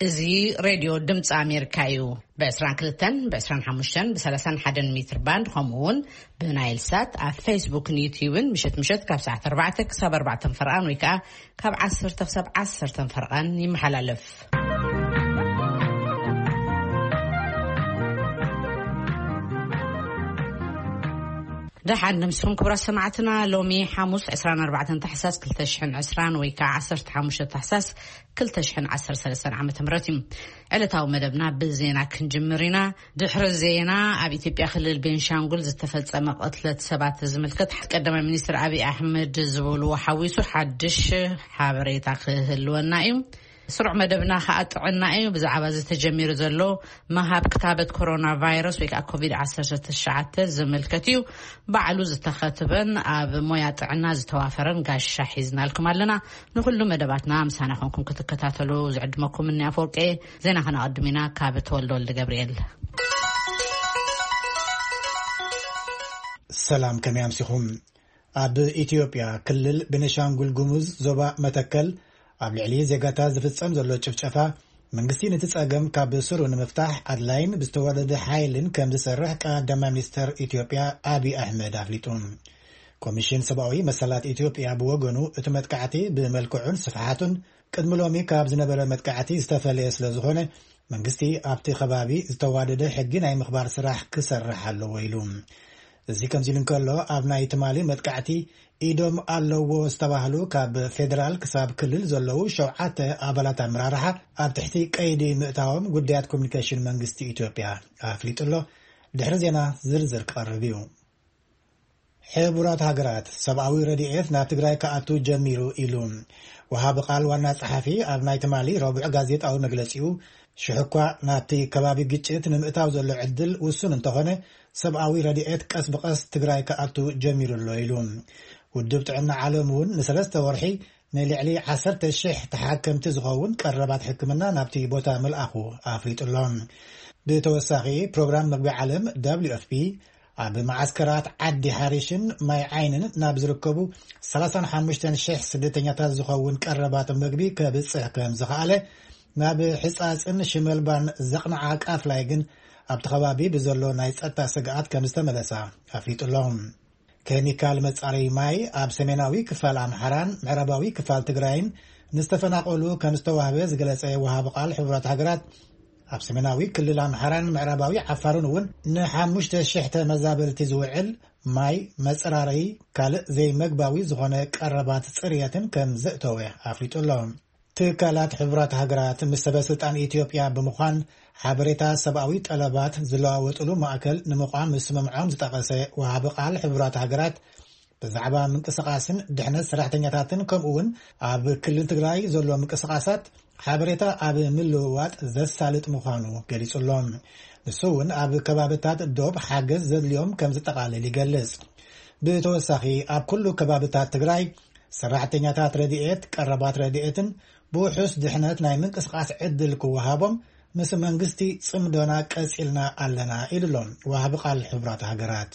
እዚ ሬድዮ ድምፂ ኣሜሪካ እዩ። ብ22፣ ብ25፣ ብ31 ሜትር ባንድ፣ ከምኡ እውን ብናይል ሳት ኣብ ፌስቡክን ዩትዩብን ምሸት ምሸት ካብ ሰዓት ኣርባዕተ ክሳብ ኣርባዕተ ፈርቓን ወይ ከዓ ካብ ዓሰርተ ክሳብ ዓሰርተ ፈርቓን ይመሓላለፍ። ደሓን ንምስኹም ክቡራት ሰማዕትና፣ ሎሚ ሓሙስ ዕስራን ኣርባዕተን ታሕሳስ ክልተ ሽሕን ዕስራን ወይ ከዓ ዓሰርተ ሓሙሽተ ታሕሳስ ክልተ ሽሕን ዓሰርተ ሰለስተን ዓመተ ምህረት እዩ። ዕለታዊ መደብና ብዜና ክንጅምር ኢና። ድሕሪ ዜና፣ ኣብ ኢትዮጵያ ክልል ቤንሻንጉል ዝተፈጸመ ቅትለት ሰባት ዝምልከት ቀዳማይ ሚኒስትር ኣብይ ኣሕመድ ዝበልዎ ሓዊሱ ሓድሽ ሓበሬታ ክህልወና እዩ። ስሩዕ መደብና ከዓ ጥዕና እዩ። ብዛዕባ ዝተጀሚሩ ዘሎ መሃብ ክታበት ኮሮና ቫይረስ ወይ ከዓ ኮቪድ ዓሰርተ ትሽዓተ ዝምልከት እዩ። ባዕሉ ዝተኸትበን ኣብ ሞያ ጥዕና ዝተዋፈረን ጋሻ ሒዝናልኩም ኣለና። ንኩሉ መደባትና ምሳና ኮንኩም ክትከታተሉ ዝዕድመኩም እኒ ኣፈወርቂ። ዜና ከነቐድም ኢና ካብ ተወልደ ወልደ ገብርኤል። ሰላም፣ ከመይ ኣምሲኹም? ኣብ ኢትዮጵያ ክልል ቤኒሻንጉል ጉሙዝ ዞባ መተከል ኣብ ልዕሊ ዜጋታት ዝፍጸም ዘሎ ጭፍጨፋ፣ መንግስቲ ነቲ ጸገም ካብ ስሩ ንምፍታሕ ኣድላይን ብዝተወደደ ሓይልን ከም ዝሰርሕ ቀዳማይ ሚኒስተር ኢትዮጵያ ኣብይ ኣሕመድ ኣፍሊጡ። ኮሚሽን ሰብኣዊ መሰላት ኢትዮጵያ ብወገኑ፣ እቲ መጥቃዕቲ ብመልክዑን ስፍሓቱን ቅድሚ ሎሚ ካብ ዝነበረ መጥቃዕቲ ዝተፈለየ ስለ ዝኾነ፣ መንግስቲ ኣብቲ ከባቢ ዝተዋደደ ሕጊ ናይ ምኽባር ስራሕ ክሰርሕ ኣለዎ ኢሉ። እዚ ከምዚ ኢሉ እንከሎ፣ ኣብ ናይ ትማሊ መጥቃዕቲ ኢዶም ኣለዎ ዝተባህሉ ካብ ፌደራል ክሳብ ክልል ዘለዉ ሸውዓተ ኣባላት ኣመራርሓ ኣብ ትሕቲ ቀይዲ ምእታዎም ጉዳያት ኮሚኒኬሽን መንግስቲ ኢትዮጵያ ኣፍሊጡ ኣሎ። ድሕሪ ዜና ዝርዝር ክቐርብ እዩ። ሕቡራት ሃገራት ሰብኣዊ ረድኤት ናብ ትግራይ ክኣቱ ጀሚሩ ኢሉ። ወሃቢ ቃል ዋና ጸሓፊ ኣብ ናይ ትማሊ ረቡዕ ጋዜጣዊ መግለጺኡ፣ ሽሕኳ ናብቲ ከባቢ ግጭት ንምእታው ዘሎ ዕድል ውሱን እንተኾነ፣ ሰብኣዊ ረድኤት ቀስ ብቐስ ትግራይ ክኣቱ ጀሚሩ ኣሎ ኢሉ። ውድብ ጥዕና ዓለም እውን ንሰለስተ ወርሒ ንልዕሊ ዓሰርተ ሽሕ ተሓከምቲ ዝኸውን ቀረባት ሕክምና ናብቲ ቦታ ምልኣኹ ኣፍሊጡ ኣሎ። ብተወሳኺ፣ ፕሮግራም መግቢ ዓለም ደብሊው ኤፍ ፒ ኣብ መዓስከራት ዓዲ ሓሪሽን ማይ ዓይንን ናብ ዝርከቡ ሰላሳን ሓሙሽተን ሽሕ ስደተኛታት ዝኸውን ቀረባት መግቢ ከብጽሕ ከም ዝኸኣለ፣ ናብ ሕጻጽን ሽመልባን ዘቕንዓ ቃፍላይ ግን ኣብቲ ከባቢ ብዘሎ ናይ ጸጥታ ስግኣት ከም ዝተመለሳ ኣፍሊጡ ኣሎ። ኬሚካል መጻረዪ ማይ ኣብ ሰሜናዊ ክፋል ኣምሓራን ምዕራባዊ ክፋል ትግራይን ንዝተፈናቐሉ ከም ዝተዋህበ ዝገለጸ ወሃቢ ቃል ሕቡራት ሃገራት፣ ኣብ ሰሜናዊ ክልል ኣምሓራን ምዕራባዊ ዓፋርን እውን ንሓሙሽተ ሽሕ ተመዛበልቲ ዝውዕል ማይ፣ መጸራረዪ፣ ካልእ ዘይመግባዊ ዝኾነ ቀረባት ጽርየትን ከም ዘእተወ ኣፍሊጡ ኣሎ። ትካላት ሕቡራት ሃገራት ምስ ሰበ ስልጣን ኢትዮጵያ ብምዃን ሓበሬታ ሰብኣዊ ጠለባት ዝለዋወጥሉ ማእከል ንምቋም ምስምምዖም ዝጠቐሰ ወሃቢ ቃል ሕቡራት ሃገራት፣ ብዛዕባ ምንቅስቓስን ድሕነት ሰራሕተኛታትን ከምኡ እውን ኣብ ክልል ትግራይ ዘሎ ምንቅስቓሳት ሓበሬታ ኣብ ምልውዋጥ ዘሳልጥ ምዃኑ ገሊጹ ኣሎ። ንሱ እውን ኣብ ከባብታት ዶብ ሓገዝ ዘድልዮም ከም ዝጠቓልል ይገልጽ። ብተወሳኺ፣ ኣብ ኩሉ ከባብታት ትግራይ ሰራሕተኛታት ረድኤት፣ ቀረባት ረድኤትን ብውሑስ ድሕነት ናይ ምንቅስቓስ ዕድል ክወሃቦም ምስ መንግስቲ ጽምዶና ቀጺልና ኣለና ኢሉ ኣሎ ወሃቢ ቃል ሕቡራት ሃገራት።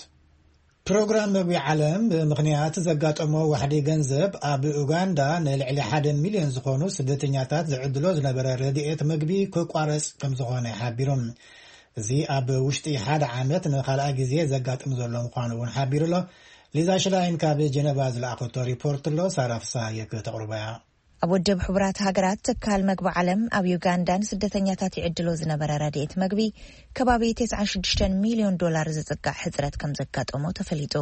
ፕሮግራም መግቢ ዓለም ብምኽንያት ዘጋጠሞ ዋሕዲ ገንዘብ ኣብ ኡጋንዳ ንልዕሊ ሓደ ሚልዮን ዝኾኑ ስደተኛታት ዝዕድሎ ዝነበረ ረድኤት መግቢ ክቋረጽ ከም ዝኾነ ሓቢሩ። እዚ ኣብ ውሽጢ ሓደ ዓመት ንኻልኣይ ግዜ ዘጋጥም ዘሎ ምዃኑ እውን ሓቢሩ ኣሎ። ሊዛ ሽላይን ካብ ጀነቫ ዝለኣኸቶ ሪፖርት ኣሎ፣ ሳራ ፍስሃየ ክተቕርቦ እያ። ኣብ ውድብ ሕቡራት ሃገራት ትካል መግቢ ዓለም ኣብ ዩጋንዳ ንስደተኛታት ይዕድሎ ዝነበረ ረድኤት መግቢ ከባቢ ተስዓን ሽዱሽተን ሚልዮን ዶላር ዝጽጋዕ ሕጽረት ከም ዘጋጠሞ ተፈሊጡ።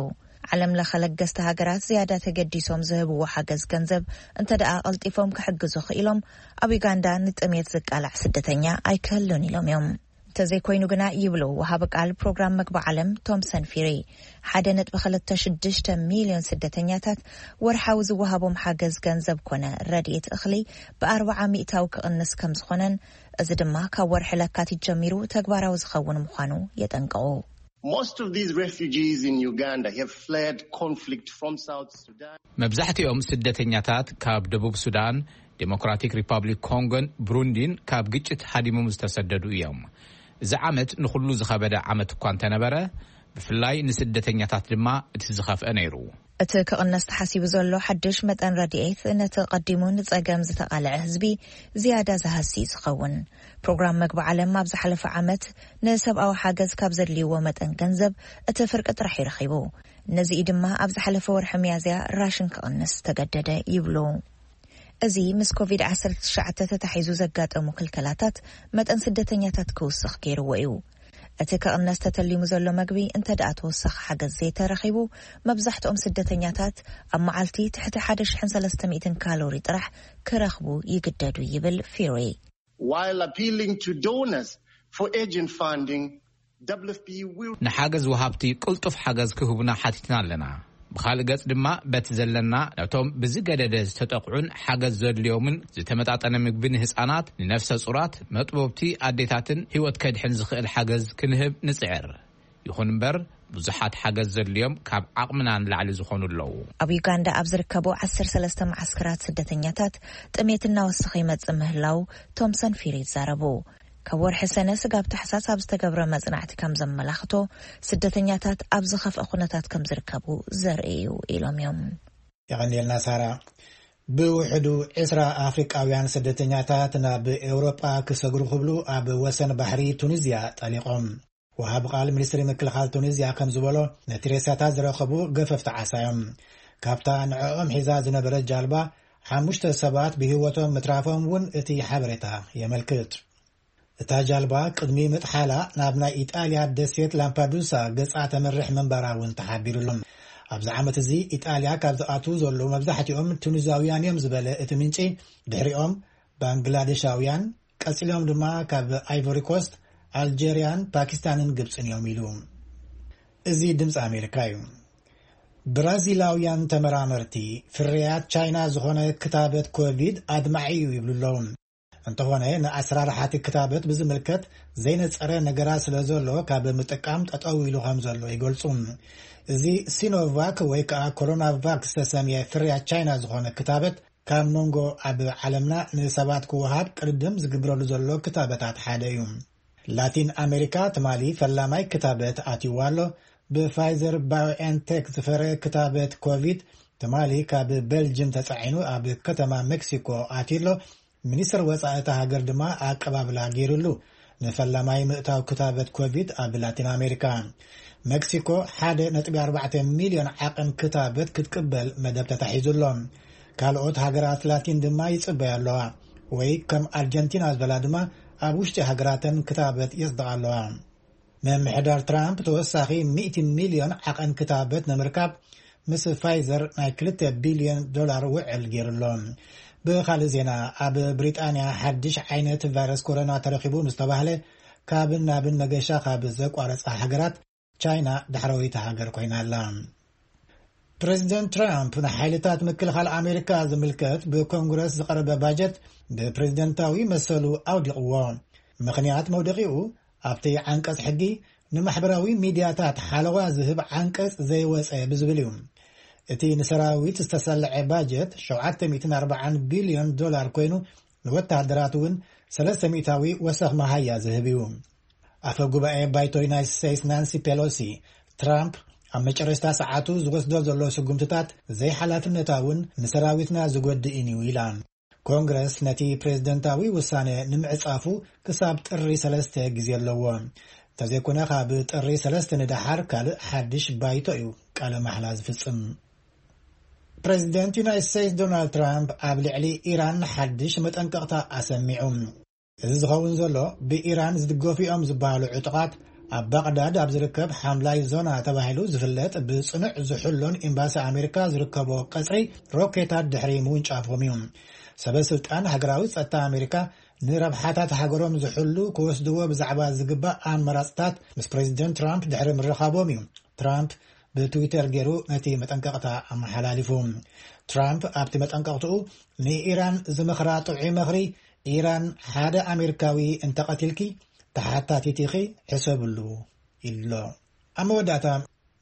ዓለም ለኸ ለገስቲ ሃገራት ዝያዳ ተገዲሶም ዝህብዎ ሓገዝ ገንዘብ እንተ ደኣ ቀልጢፎም ክሕግዙ ክኢሎም፣ ኣብ ዩጋንዳ ንጥሜት ዝቃላዕ ስደተኛ ኣይክህሉን ኢሎም እዮም። እንተዘይኮይኑ ግና ይብሉ ወሃቢ ቃል ፕሮግራም መግቢ ዓለም ቶምሰን ፊሪ፣ ሓደ ነጥቢ ክልተ ሽዱሽተ ሚልዮን ስደተኛታት ወርሓዊ ዝወሃቦም ሓገዝ ገንዘብ ኮነ ረድኤት እኽሊ ብኣርባዓ ሚእታዊ ክቕንስ ከም ዝኾነን፣ እዚ ድማ ካብ ወርሒ ለካቲት ጀሚሩ ተግባራዊ ዝኸውን ምዃኑ የጠንቅቑ። Most of these refugees in Uganda have fled conflict from South Sudan. መብዛሕትኦም ስደተኛታት ካብ ደቡብ ሱዳን፣ ዴሞክራቲክ ሪፓብሊክ ኮንጎን ብሩንዲን ካብ ግጭት ሃዲሞም ዝተሰደዱ እዮም። እዚ ዓመት ንኹሉ ዝኸበደ ዓመት እኳ እንተነበረ፣ ብፍላይ ንስደተኛታት ድማ እቲ ዝኸፍአ ነይሩ። እቲ ክቕነስ ተሓሲቡ ዘሎ ሓድሽ መጠን ረድኤት፣ ነቲ ቀዲሙ ንጸገም ዝተቓልዐ ህዝቢ ዝያዳ ዝሃሲ እዩ ዝኸውን። ፕሮግራም መግቢ ዓለም ኣብ ዝሓለፈ ዓመት ንሰብኣዊ ሓገዝ ካብ ዘድልይዎ መጠን ገንዘብ እቲ ፍርቂ ጥራሕ እዩ ረኺቡ። ነዚ እዩ ድማ ኣብ ዝሓለፈ ወርሒ ሚያዝያ ራሽን ክቕንስ ዝተገደደ ይብሉ። እዚ ምስ ኮቪድ ዓሰርተ ትሽዓተ ተታሒዙ ዘጋጠሙ ክልከላታት፣ መጠን ስደተኛታት ክውስኽ ገይርዎ እዩ። እቲ ክቕነስ ተተሊሙ ዘሎ መግቢ እንተ ደኣ ተወሳኺ ሓገዝ ዘይተረኺቡ፣ መብዛሕትኦም ስደተኛታት ኣብ መዓልቲ ትሕቲ ሓደ ሽሕን ሰለስተ ሚእትን ካሎሪ ጥራሕ ክረኽቡ ይግደዱ ይብል ፊሪ። While appealing to donors for urgent funding, W F P will ንሓገዝ ወሃብቲ ቅልጡፍ ሓገዝ ክህቡና ሓቲትና ኣለና። ብኻልእ ገጽ ድማ፣ በቲ ዘለና፣ ነቶም ብዝገደደ ዝተጠቕዑን ሓገዝ ዘድልዮምን ዝተመጣጠነ ምግቢ ንህጻናት፣ ንነፍሰ ጹራት፣ መጥቦብቲ ኣዴታትን ህይወት ከድሕን ዝኽእል ሓገዝ ክንህብ ንጽዕር። ይኹን እምበር፣ ብዙሓት ሓገዝ ዘድልዮም ካብ ዓቕምና ንላዕሊ ዝኾኑ ኣለዉ። ኣብ ዩጋንዳ ኣብ ዝርከቡ ዓሰርተ ሰለስተ መዓስከራት ስደተኛታት ጥሜት እናወሰኸ ይመጽእ ምህላው ቶምሰን ፊሪ ይዛረቡ። ካብ ወርሒ ሰነ ስጋብ ታሕሳስ ኣብ ዝተገብረ መጽናዕቲ ከም ዘመላኽቶ፣ ስደተኛታት ኣብ ዝኸፍአ ኩነታት ከም ዝርከቡ ዘርኢ እዩ ኢሎም እዮም። የቐንየልና ሳራ። ብውሕዱ ዕስራ ኣፍሪቃውያን ስደተኛታት ናብ ኤውሮጳ ክሰግሩ ክብሉ ኣብ ወሰን ባሕሪ ቱኒዝያ ጠሊቖም። ወሃቢ ቃል ሚኒስትሪ ምክልኻል ቱኒዝያ ከም ዝበሎ፣ ነቲ ሬሳታት ዝረኸቡ ገፈፍቲ ዓሳ እዮም። ካብታ ንዕኦም ሒዛ ዝነበረት ጃልባ ሓሙሽተ ሰባት ብህይወቶም ምትራፎም እውን እቲ ሓበሬታ የመልክት። እታ ጃልባ ቅድሚ ምጥሓላ ናብ ናይ ኢጣልያ ደሴት ላምፓዱሳ ገጻ ተምርሕ ምንባራ እውን ተሓቢሩ ኣሎ። ኣብዚ ዓመት እዚ ኢጣልያ ካብ ዝኣትዉ ዘለዉ መብዛሕትኦም ቱኒዛውያን እዮም ዝበለ እቲ ምንጪ፣ ድሕሪኦም ባንግላዴሻውያን፣ ቀጺሎም ድማ ካብ ኣይቮሪ ኮስት፣ ኣልጀርያን ፓኪስታንን ግብጽን እዮም ኢሉ። እዚ ድምጺ ኣሜሪካ እዩ። ብራዚላውያን ተመራመርቲ፣ ፍርያት ቻይና ዝኾነ ክታበት ኮቪድ ኣድማዒ እዩ ይብሉ ኣለዉ። እንተኾነ፣ ንኣሰራርሓ እቲ ክታበት ብዝምልከት ዘይነጸረ ነገራት ስለ ዘሎ፣ ካብ ምጥቃም ጠጠው ኢሉ ከም ዘሎ ይገልጹ። እዚ ሲኖቫክ ወይ ከዓ ኮሮናቫክ ዝተሰምየ ፍርያት ቻይና ዝኾነ ክታበት፣ ካብ መንጎ ኣብ ዓለምና ንሰባት ክወሃብ ቅድድም ዝግብረሉ ዘሎ ክታበታት ሓደ እዩ። ላቲን ኣሜሪካ ትማሊ ፈላማይ ክታበት ኣትይዋ ኣሎ። ብፋይዘር ባዮኤንቴክ ዝፈረ ክታበት ኮቪድ ትማሊ ካብ ቤልጅም ተጻዒኑ ኣብ ከተማ ሜክሲኮ ኣትዩ ኣሎ። ሚኒስትር ወጻኢ እታ ሃገር ድማ ኣቀባብላ ገይሩሉ። ንፈላማይ ምእታው ክታበት ኮቪድ ኣብ ላቲን ኣሜሪካ፣ ሜክሲኮ ሓደ ነጥቢ ኣርባዕተ ሚልዮን ዓቐን ክታበት ክትቅበል መደብ ተታሒዙ ኣሎ። ካልኦት ሃገራት ላቲን ድማ ይጽበያ ኣለዋ። ወይ ከም ኣርጀንቲና ዝበላ ድማ ኣብ ውሽጢ ሃገራተን ክታበት የጽድቓ ኣለዋ። ምምሕዳር ትራምፕ ተወሳኺ ሚእቲ ሚልዮን ዓቐን ክታበት ንምርካብ ምስ ፋይዘር ናይ ክልተ ቢልዮን ዶላር ውዕል ገይሩ ኣሎ። ብኻልእ ዜና፣ ኣብ ብሪጣንያ ሓድሽ ዓይነት ቫይረስ ኮሮና ተረኺቡ ምስ ተባህለ፣ ካብን ናብን መገሻ ካብ ዘቋረጻ ሃገራት ቻይና ዳሕረወይቲ ሃገር ኮይና ኣላ። ፕሬዚደንት ትራምፕ ንሓይልታት ምክልኻል ኣሜሪካ ዝምልከት ብኮንግረስ ዝቐረበ ባጀት ብፕሬዚደንታዊ መሰሉ ኣውዲቕዎ። ምኽንያት መውደቂኡ ኣብቲ ዓንቀጽ ሕጊ ንማሕበራዊ ሚድያታት ሓለዋ ዝህብ ዓንቀጽ ዘይወጸ ብዝብል እዩ። እቲ ንሰራዊት ዝተሰልዐ ባጀት ሸውዓተ ሚእትን ኣርባዓን ቢልዮን ዶላር ኮይኑ፣ ንወተሃደራት እውን ሰለስተ ሚእታዊ ወሰኽ መሃያ ዝህብ እዩ። ኣፈ ጉባኤ ባይቶ ዩናይትድ ስቴትስ ናንሲ ፔሎሲ፣ ትራምፕ ኣብ መጨረሽታ ሰዓቱ ዝወስዶ ዘሎ ስጉምትታት ዘይሓላፍነታውን ንሰራዊትና ዝጎድእን እዩ ኢላ። ኮንግረስ ነቲ ፕሬዝደንታዊ ውሳነ ንምዕጻፉ ክሳብ ጥሪ ሰለስተ ግዜ ኣለዎ። እንተዘይኮነ፣ ካብ ጥሪ ሰለስተ ንደሓር ካልእ ሓድሽ ባይቶ እዩ ቃለ ማሕላ ዝፍጽም። ፕሬዝደንት ዩናይትድ ስቴትስ ዶናልድ ትራምፕ ኣብ ልዕሊ ኢራን ሓድሽ መጠንቀቕታ ኣሰሚዑ። እዚ ዝኸውን ዘሎ፣ ብኢራን ዝድገፉ እዮም ዝበሃሉ ዕጡቓት ኣብ ባቕዳድ ኣብ ዝርከብ ሓምላይ ዞና ተባሂሉ ዝፍለጥ ብጽኑዕ ዝሕሎን ኤምባሲ ኣሜሪካ ዝርከቦ ቀጽሪ ሮኬታት ድሕሪ ምውንጫፎም እዩ። ሰበ ስልጣን ሃገራዊ ጸጥታ ኣሜሪካ ንረብሓታት ሃገሮም ዝሕሉ ክወስድዎ ብዛዕባ ዝግባእ ኣመራጽታት ምስ ፕሬዚደንት ትራምፕ ድሕሪ ምርኻቦም እዩ ትራምፕ ብትዊተር ገይሩ ነቲ መጠንቀቕታ ኣመሓላሊፉ። ትራምፕ ኣብቲ መጠንቀቕትኡ፣ ንኢራን ዝመኽራ ጥዑይ ምኽሪ፣ ኢራን ሓደ ኣሜሪካዊ እንተቐቲልኪ፣ ተሓታቲት ኢኺ፣ ሕሰብሉ፣ ኢሉ ኣሎ። ኣብ መወዳእታ፣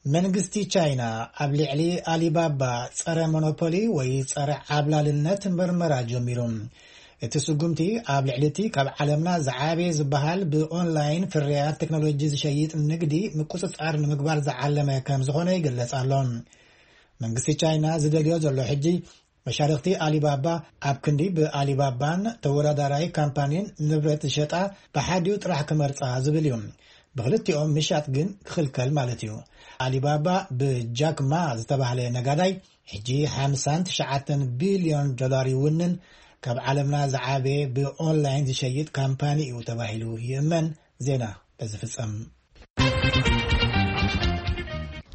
መንግስቲ ቻይና ኣብ ልዕሊ ኣሊባባ ጸረ ሞኖፖሊ ወይ ጸረ ዓብላልነት መርመራ ጀሚሩ። እቲ ስጉምቲ ኣብ ልዕሊ እቲ ካብ ዓለምና ዝዓበየ ዝበሃል ብኦንላይን ፍርያት ቴክኖሎጂ ዝሸይጥ ንግዲ ምቁጽጻር ንምግባር ዝዓለመ ከም ዝኾነ ይግለጽ ኣሎ። መንግስቲ ቻይና ዝደልዮ ዘሎ ሕጂ፣ መሻርኽቲ ኣሊባባ ኣብ ክንዲ ብኣሊባባን ተወዳዳራይ ካምፓኒን ንብረት ዝሸጣ ብሓዲኡ ጥራሕ ክመርጻ ዝብል እዩ። ብክልቲኦም ምሻጥ ግን ክኽልከል ማለት እዩ። ኣሊባባ ብጃክ ማ ዝተባህለ ነጋዳይ ሕጂ ሓምሳን ትሽዓተን ቢልዮን ዶላር ይውንን፣ ካብ ዓለምና ዝዓበየ ብኦንላይን ዝሸይጥ ካምፓኒ እዩ ተባሂሉ ይእመን። ዜና በዚ ፍጸም።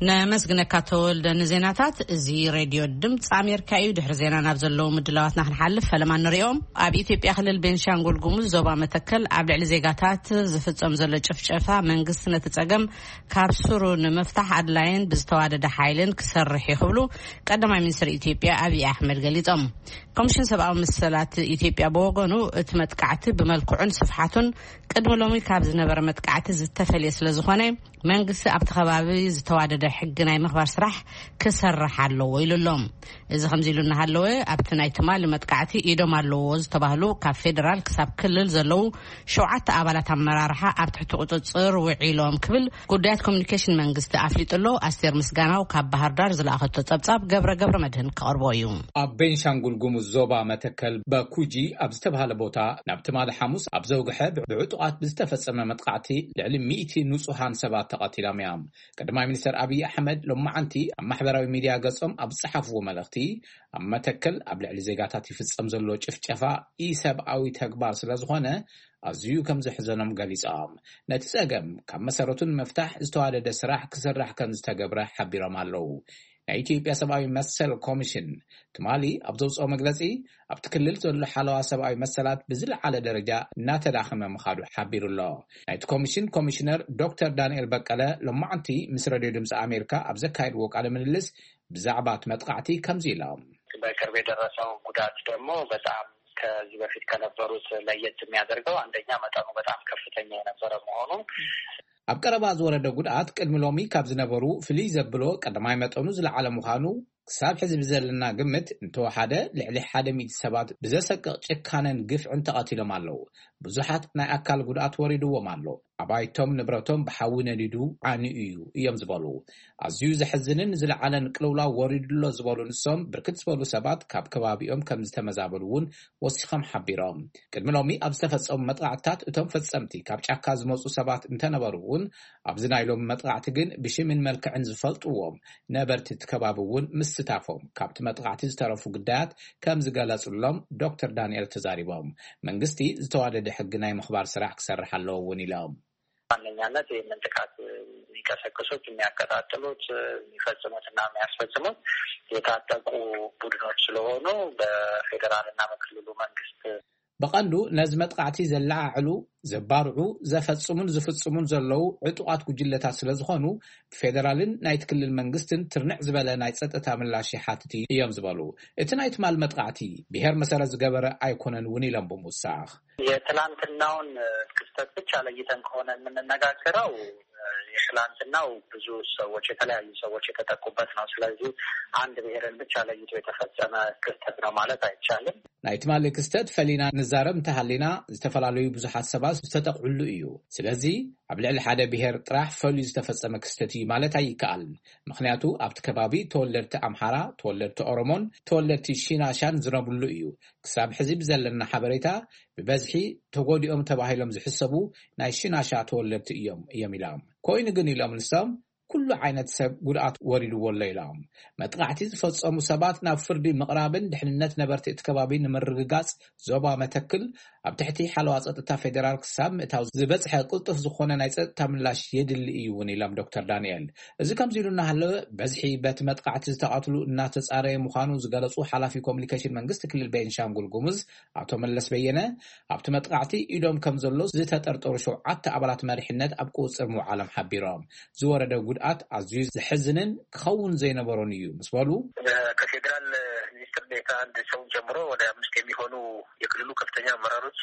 ነመስግነካ ተወልደ ንዜናታት። እዚ ሬድዮ ድምፂ ኣሜሪካ እዩ። ድሕሪ ዜና ናብ ዘለዉ ምድላዋትና ክንሓልፍ ፈለማ ንሪኦም። ኣብ ኢትዮጵያ ክልል ቤንሻንጉል ጉሙዝ ዞባ መተከል ኣብ ልዕሊ ዜጋታት ዝፍጸም ዘሎ ጭፍጨፋ መንግስቲ ነቲ ጸገም ካብ ስሩ ንምፍታሕ ኣድላይን ብዝተዋደደ ሓይልን ክሰርሕ እዩ ክብሉ ቀዳማይ ሚኒስትር ኢትዮጵያ ኣብይ ኣሕመድ ገሊጾም። ኮሚሽን ሰብኣዊ መሰላት ኢትዮጵያ ብወገኑ እቲ መጥቃዕቲ ብመልክዑን ስፍሓቱን ቅድሚ ሎሚ ካብ ዝነበረ መጥቃዕቲ ዝተፈልየ ስለ ዝኾነ መንግስቲ ኣብቲ ከባቢ ዝተዋደደ ሕጊ ናይ ምኽባር ስራሕ ክሰርሕ ኣለዎ ኢሉ ኣሎ። እዚ ከምዚ ኢሉ እናሃለወ ኣብቲ ናይ ትማሊ መጥቃዕቲ ኢዶም ኣለዎ ዝተባህሉ ካብ ፌዴራል ክሳብ ክልል ዘለዉ ሸውዓተ ኣባላት ኣመራርሓ ኣብ ትሕቲ ቁፅፅር ውዒሎም ክብል ጉዳያት ኮሚኒኬሽን መንግስቲ ኣፍሊጡ ኣሎ። ኣስቴር ምስጋናው ካብ ባህር ዳር ዝለኣኸቶ ጸብጻብ ገብረ ገብረ መድህን ክቐርቦ እዩ። ኣብ ቤንሻንጉል ጉሙዝ ዞባ መተከል በኩጂ ኣብ ዝተባህለ ቦታ ናብ ትማሊ ሓሙስ ኣብ ዘውግሐ ብዕጡቓት ብዝተፈጸመ መጥቃዕቲ ልዕሊ ሚእቲ ንጹሃን ሰባት ተቐቲሎም እዮም። ቀዳማይ ሚኒስተር ኣብይ ኣሕመድ ሎማዓንቲ ኣብ ማሕበራዊ ሚድያ ገጾም ኣብ ዝጸሓፍዎ መልእኽቲ፣ ኣብ መተከል ኣብ ልዕሊ ዜጋታት ይፍጸም ዘሎ ጭፍጨፋ ኢሰብኣዊ ተግባር ስለ ዝኾነ ኣዝዩ ከም ዘሕዘኖም ገሊጾም። ነቲ ጸገም ካብ መሰረቱ ንምፍታሕ ዝተዋደደ ስራሕ ክስራሕ ከም ዝተገብረ ሓቢሮም ኣለዉ። ናይ ኢትዮጵያ ሰብኣዊ መሰል ኮሚሽን ትማሊ ኣብ ዘውፅኦ መግለፂ፣ ኣብቲ ክልል ዘሎ ሓለዋ ሰብኣዊ መሰላት ብዝለዓለ ደረጃ እናተዳኸመ ምኻዱ ሓቢሩ ኣሎ። ናይቲ ኮሚሽን ኮሚሽነር ዶክተር ዳንኤል በቀለ ሎማዕንቲ ምስ ረድዮ ድምፂ ኣሜሪካ ኣብ ዘካየድዎ ቃለ ምልልስ ብዛዕባ እቲ መጥቃዕቲ ከምዚ ኢሎም። በቅርብ የደረሰው ጉዳት ደግሞ በጣም ከዚህ በፊት ከነበሩት ለየት የሚያደርገው አንደኛ መጠኑ በጣም ከፍተኛ የነበረ መሆኑ፣ ኣብ ቀረባ ዝወረደ ጉድኣት ቅድሚ ሎሚ ካብ ዝነበሩ ፍልይ ዘብሎ ቀዳማይ መጠኑ ዝለዓለ ምዃኑ፣ ክሳብ ሕዚ ብዘለና ግምት እንተወሓደ ልዕሊ ሓደ ሚእቲ ሰባት ብዘሰቅቕ ጭካነን ግፍዕን ተቐቲሎም ኣለዉ። ብዙሓት ናይ ኣካል ጉድኣት ወሪድዎም ኣሎ። ኣባይቶም ንብረቶም ብሓዊ ነዲዱ ዓንዩ እዩ እዮም ዝበሉ። ኣዝዩ ዘሕዝንን ዝለዓለን ቅልውላው ወሪዱ ኣሎ ዝበሉ ንሶም፣ ብርክት ዝበሉ ሰባት ካብ ከባቢኦም ከም ዝተመዛበሉ እውን ወሲኾም ሓቢሮም። ቅድሚ ሎሚ ኣብ ዝተፈጸሙ መጥቃዕትታት እቶም ፈጸምቲ ካብ ጫካ ዝመጹ ሰባት እንተነበሩ እውን፣ ኣብዚ ናይ ሎሚ መጥቃዕቲ ግን ብሽምን መልክዕን ዝፈልጥዎም ነበርቲ እቲ ከባቢ እውን ምስታፎም ካብቲ መጥቃዕቲ ዝተረፉ ግዳያት ከም ዝገለጹሎም ዶክተር ዳንኤል ተዛሪቦም። መንግስቲ ዝተዋደደ ሕጊ ናይ ምኽባር ስራሕ ክሰርሕ ኣለዎ እውን ኢሎም። ዋነኛነት ይህንን ጥቃት የሚቀሰቅሱት፣ የሚያቀጣጥሉት፣ የሚፈጽሙትና የሚያስፈጽሙት የታጠቁ ቡድኖች ስለሆኑ በፌዴራልና በክልሉ መንግስት ብቐንዱ ነዚ መጥቃዕቲ ዘለዓዕሉ፣ ዘባርዑ፣ ዘፈጽሙን ዝፍጽሙን ዘለዉ ዕጡቓት ጉጅለታት ስለ ዝኾኑ፣ ብፌደራልን ናይቲ ክልል መንግስትን ትርንዕ ዝበለ ናይ ጸጥታ ምላሽ ይሓትት እዮም ዝበሉ እቲ ናይ ትማል መጥቃዕቲ፣ ብሄር መሰረት ዝገበረ ኣይኮነን እውን ኢሎም ብምውሳኽ። የትላንትናውን ክስተት ብቻ ለይተን ከሆነ የምንነጋገረው፣ የትላንትናው ብዙ ሰዎች፣ የተለያዩ ሰዎች የተጠቁበት ነው። ስለዚህ አንድ ብሔርን ብቻ ለይቶ የተፈጸመ ክስተት ነው ማለት አይቻልም። ናይ ትማሊ ክስተት ፈሊና ንዛረብ እንተሃሊና፣ ዝተፈላለዩ ብዙሓት ሰባት ዝተጠቕዕሉ እዩ። ስለዚ ኣብ ልዕሊ ሓደ ብሔር ጥራሕ ፈልዩ ዝተፈጸመ ክስተት እዩ ማለት ኣይከኣልን። ምኽንያቱ ኣብቲ ከባቢ ተወለድቲ ኣምሓራ፣ ተወለድቲ ኦሮሞን ተወለድቲ ሺናሻን ዝነብርሉ እዩ። ክሳብ ሕዚ ብዘለና ሓበሬታ ብበዝሒ ተጎዲኦም ተባሂሎም ዝሕሰቡ ናይ ሽናሻ ተወለድቲ እዮም እዮም ኢሎም። ኮይኑ ግን ኢሎም ንሶም፣ ኩሉ ዓይነት ሰብ ጉድኣት ወሪድዎ ኣሎ ኢሎም። መጥቃዕቲ ዝፈጸሙ ሰባት ናብ ፍርዲ ምቕራብን ድሕንነት ነበርቲ እቲ ከባቢ ንምርግጋጽ ዞባ መተክል ኣብ ትሕቲ ሓለዋ ጸጥታ ፌዴራል ክሳብ ምእታው ዝበጽሐ ቅልጡፍ ዝኾነ ናይ ጸጥታ ምላሽ የድሊ እዩ እውን ኢሎም ዶክተር ዳንኤል። እዚ ከምዚ ኢሉ እናሃለወ፣ በዝሒ በቲ መጥቃዕቲ ዝተቐትሉ እናተጻረየ ምዃኑ ዝገለጹ ሓላፊ ኮሚኒኬሽን መንግስቲ ክልል ቤንሻንጉል ጉሙዝ ኣቶ መለስ በየነ፣ ኣብቲ መጥቃዕቲ ኢዶም ከም ዘሎ ዝተጠርጠሩ ሸውዓተ ኣባላት መሪሕነት ኣብ ቁጽጽር ምውዓሎም ሓቢሮም። ዝወረደ ጉድኣት ኣዝዩ ዘሕዝንን ክኸውን ዘይነበሮን እዩ ምስ በሉ፣ ከፌዴራል ሚኒስትር ዴኤታ አንድ ሰውን ጨምሮ ወደ አምስት የሚሆኑ የክልሉ ከፍተኛ አመራሮች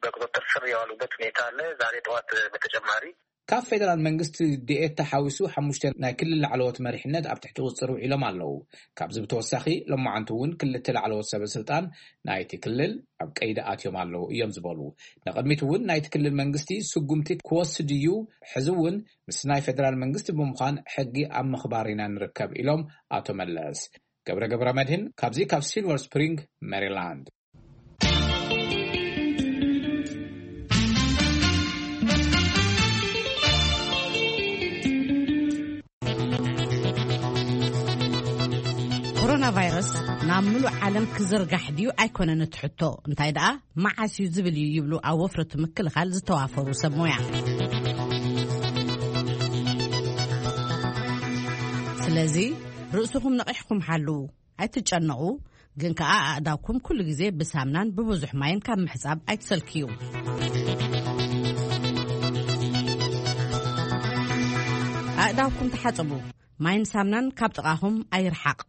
በቁጥጥር ስር የዋሉበት ሁኔታ አለ። ዛሬ ጠዋት በተጨማሪ ካብ ፌደራል መንግስቲ ዲኤት ተሓዊሱ ሓሙሽተ ናይ ክልል ላዕለዎት መሪሕነት ኣብ ትሕቲ ቁፅፅር ውዒሎም ኣለዉ። ካብዚ ብተወሳኺ ሎማዓንቲ እውን ክልተ ላዕለዎት ሰበ ስልጣን ናይቲ ክልል ኣብ ቀይዲ ኣትዮም ኣለዉ እዮም ዝበሉ። ንቕድሚት እውን ናይቲ ክልል መንግስቲ ስጉምቲ ክወስድ እዩ፣ ሕዚ እውን ምስ ናይ ፌደራል መንግስቲ ብምዃን ሕጊ ኣብ ምኽባር ኢና ንርከብ ኢሎም ኣቶ መለስ። ገብረ ገብረ መድህን ካብዚ ካብ ሲልቨር ስፕሪንግ ሜሪላንድ። ኮሮና ቫይረስ ናብ ምሉእ ዓለም ክዝርጋሕ ድዩ ኣይኮነን እቲ ሕቶ፣ እንታይ ደኣ መዓስ እዩ ዝብል እዩ ይብሉ ኣብ ወፍሪ እቲ ምክልኻል ዝተዋፈሩ ሰብ ሞያ። ስለዚ ርእስኹም ነቒሕኩም ሓልዉ፣ ኣይትጨነቑ፣ ግን ከኣ ኣእዳውኩም ኩሉ ግዜ ብሳምናን ብብዙሕ ማይን ካብ ምሕጻብ ኣይትሰልክዩ። ኣእዳውኩም ተሓጸቡ፣ ማይን ሳምናን ካብ ጥቓኹም ኣይርሓቕ።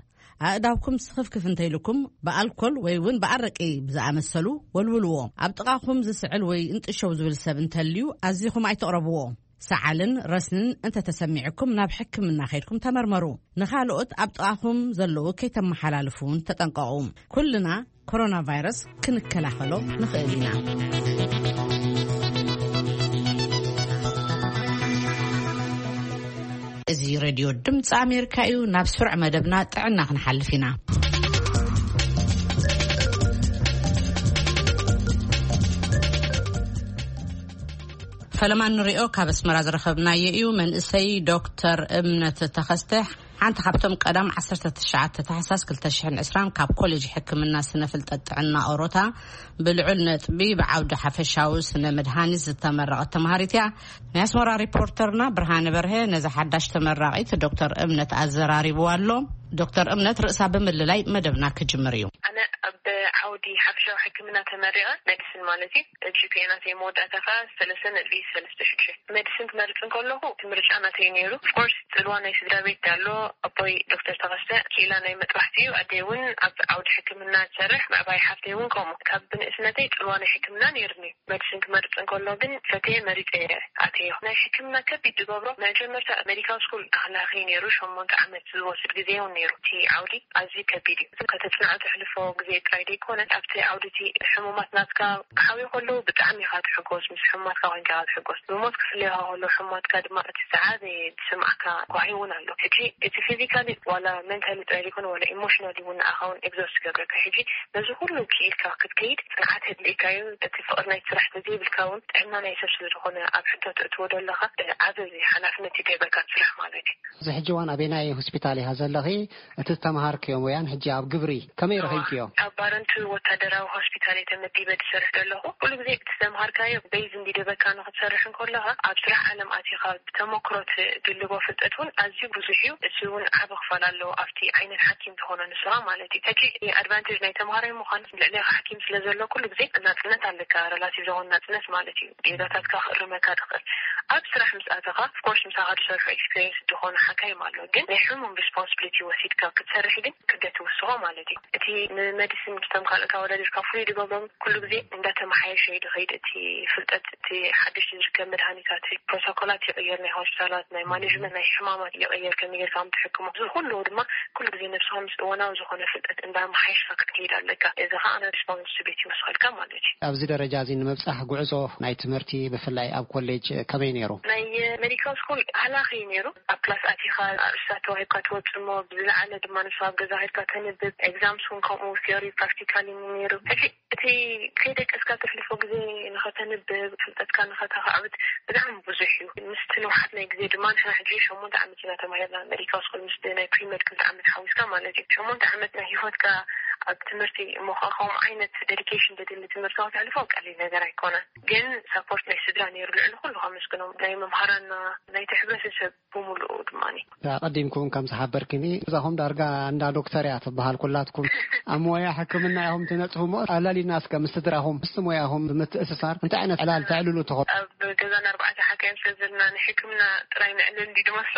ኣእዳውኩም ስኽፍክፍ እንተይልኩም ብኣልኮል ወይ እውን ብኣረቂ ብዝኣመሰሉ ወልውልዎ። ኣብ ጥቓኹም ዝስዕል ወይ እንጥሸው ዝብል ሰብ እንተልዩ ኣዚኹም ኣይትቕረብዎ። ሰዓልን ረስንን እንተተሰሚዕኩም ናብ ሕክምና ከይድኩም ተመርመሩ። ንኻልኦት ኣብ ጥቓኹም ዘለዉ ከይተመሓላልፉ እውን ተጠንቀቑ። ኩልና ኮሮና ቫይረስ ክንከላኸሎ ንኽእል ኢና። እዚ ሬድዮ ድምፂ ኣሜሪካ እዩ። ናብ ስሩዕ መደብና ጥዕና ክንሓልፍ ኢና። ፈለማ ንሪኦ ካብ ኣስመራ ዝረኸብናዮ እዩ። መንእሰይ ዶክተር እምነት ተኸስተ ሓንቲ ካብቶም ቀዳም ዓሰርተ ትሽዓተ ታሕሳስ ክልተ ሽሕን ዕስራን ካብ ኮሌጅ ሕክምና ስነ ፍልጠት ጥዕና ኦሮታ ብልዑል ነጥቢ ብዓውዲ ሓፈሻዊ ስነ መድሃኒት ዝተመረቐት ተምሃሪት እያ። ናይ ኣስመራ ሪፖርተርና ብርሃነ በርሀ ነዛ ሓዳሽ ተመራቒት ዶክተር እምነት ኣዘራሪብዋ ኣሎ። ዶክተር እምነት ርእሳ ብምልላይ መደብና ክጅምር እዩ። ኣነ ኣብ ዓውዲ ሓፈሻዊ ሕክምና ተመሪቐ፣ ሜዲሲን ማለት እዩ። ጂፒኤ ናተይ መወዳእታ ከዓ ሰለስተ ነጥቢ ሰለስተ ሽዱሽተ። ሜዲሲን ክመርፅ እንከለኹ እቲ ምርጫ ናተይ ነይሩ። ኦፍኮርስ ፅልዋ ናይ ስድራ ቤት ኣሎ። ኣቦይ ዶክተር ተኸስተ ክኢላ ናይ መጥባሕቲ እዩ። ኣደይ እውን ኣብ ዓውዲ ሕክምና ትሰርሕ፣ ምዕባይ ሓፍተይ እውን ከምኡ። ካብ ብንእስነተይ ፅልዋ ናይ ሕክምና ነይርኒ። ሜዲሲን ክመርፅ እንከሎ ግን ፈትየ መሪፀ ኣትየ። ናይ ሕክምና ከቢድ ዝገብሮ መጀመርታ ሜዲካል ስኩል ኣኽላኺ ነይሩ። ሸሞንተ ዓመት ዝወስድ ግዜ እውን ነይሩ። እቲ ዓውዲ ኣዝዩ ከቢድ እዩ። ከተፅንዖ ተሕልፎ ግዜ ጥራይ ዘይኮነ ኣብቲ ዓውዲ እቲ ሕሙማት ናትካ ክሓውዩ ከለዉ ብጣዕሚ ኢኻ ትሕጎስ። ምስ ሕሙማትካ ኮይንካ ኢኻ ትሕጎስ። ብሞት ክፍለዩኻ ከለዉ ሕሙማትካ ድማ እቲ ዝዓበየ ዝስምዓካ ጓሂ እውን ኣሎ። ሕጂ እቲ ፊዚካሊ ዋላ ሜንታሊ ጥራይ ዘይኮነ ዋላ ኢሞሽናሊ እውን ንኣኻ እውን ኤግዞስት ይገብረካ። ሕጂ ነዚ ኩሉ ክኢልካ ክትከይድ ጽንዓት የድልየካ እዩ። እቲ ፍቕሪ ናይቲ ስራሕ ተዘይብልካ እውን ጥዕና ናይ ሰብ ስለ ዝኾነ ኣብ ሕቶ ተእትዎ ዘለኻ ዓቢ ሓላፍነት ይደርበካ እቲ ስራሕ ማለት እዩ። እዚ ሕጂ እዋን ኣበየናይ ሆስፒታል ኢኻ ዘለኺ? እቲ ዝተምሃርክዮ ሞያን ሕጂ ኣብ ግብሪ ከመይ ረኺብክዮ? ኣብ ባረንቱ ወታደራዊ ሆስፒታል እየ ተመዲበ ዝሰርሕ ዘለኹ። ኩሉ ግዜ እቲ ዝተምሃርካዮ ቤዝ እንዲደበካ ንኽትሰርሕ እንከለኻ ኣብ ስራሕ ዓለም ኣቲኻ ብተመክሮ ትድልቦ ፍልጠት እውን ኣዝዩ ብዙሕ እዩ። እዚ እውን ዓቢ ክፋል ኣለዎ ኣብቲ ዓይነት ሓኪም ዝኾነ ንስኻ ማለት እዩ። ሕጂ ኣድቫንቴጅ ናይ ተምሃራይ ምዃን ልዕሌኻ ሓኪም ስለ ዘሎ ኩሉ ግዜ ናጽነት ኣለካ፣ ረላቲቭ ዝኾነ ናጽነት ማለት እዩ። ጌጋታትካ ክእርመካ ትኽእል። ኣብ ስራሕ ምስ ኣተኻ ኦፍኮርስ ምሳኻ ዝሰርሑ ኤክስፒሪየንስ ዝኾነ ሓካይም ኣሎ፣ ግን ናይ ሕሙም ሪስፖንስብሊቲ ወሲድካ ክትሰርሕ ግን ክብደት ትውስኾ ማለት እዩ። እቲ ንመዲሲን ምስቶም ካልኦት ኣወዳዲርካ ፍሉይ ዝገብሮም ኩሉ ግዜ እንዳተመሓየሸ እዩ ዝኸይድ። እቲ ፍልጠት፣ እቲ ሓድሽ ዝርከብ መድሃኒታት፣ ፕሮቶኮላት ይቕየር፣ ናይ ሆስፒታላት ናይ ማኔጅመንት ናይ ሕማማት ይቕየር፣ ከመይ ጌርካ ከም ትሕክሞ፣ እዚ ኩሉ ድማ ኩሉ ግዜ ነብስኻ ምስ እዋናዊ ዝኾነ ፍልጠት እንዳመሓየሽካ ክትከይድ ኣለካ። እዚ ኸዓ ሪስፖንስቢሊቲ ይወስኸልካ ማለት እዩ። ኣብዚ ደረጃ እዚ ንምብጻሕ ጉዕዞ ናይ ትምህርቲ ብፍላይ ኣብ ኮሌጅ ከመይ ነይሩ? ናይ ሜዲካል ስኩል ሃላኺ እዩ ነይሩ። ኣብ ክላስ ኣቲኻ ኣርእስታት ተዋሂብካ ትወጽእ እሞ ብዝለዓለ ድማ ንስኻ ኣብ ገዛ ኸድካ ተንብብ። ኤግዛምስ እውን ከምኡ ቲዮሪ ፕራክቲካል እዩ ነይሩ። ሕጂ እቲ ከይደቀስካ ተሕልፎ ግዜ ንኸተንብብ፣ ፍልጠትካ ንኸተኻዕብት ብጣዕሚ ብዙሕ እዩ። ምስቲ ንውሓት ናይ ግዜ ድማ ንሕና ሕጂ ሸሞንተ ዓመት ኢና ተማሂርና ሜዲካል ስኩል፣ ምስቲ ናይ ፕሪመድ ክልተ ዓመት ሓዊስካ ማለት እዩ። ሸሞንተ ዓመት ናይ ህይወትካ ኣብ ትምህርቲ እሞ ኸዓ ከምኡ ዓይነት ዴዲኬሽን ዘድሊ ትምህርቲ ከተሕልፎ ቀሊል ነገር ኣይኮነን። ግን ሳፖርት ናይ ስድራ ነይሩ፣ ልዕሊ ኩሉ ከመስግኖም። ናይ መምሃራንና፣ ናይቲ ሕብረተሰብ ብምሉኡ ድማ። ኣቐዲምኩም ከም ዝሓበርክኒ፣ እዛኹም ዳርጋ እንዳ ዶክተር እያ ትበሃል። ኩላትኩም ኣብ ሞያ ሕክምና ኢኹም ትነጥፉ እሞ፣ ኣላሊና እስከ ምስ ስድራኹም፣ ምስ ሞያኹም ብምትእስሳር እንታይ ዓይነት ዕላል ተዕልሉ ትኾኑ? ኣብ ገዛና ኣርባዕተ ሓካይም ስለ ዘለና ንሕክምና ጥራይ ነዕልል እንዲ ድመስሎ።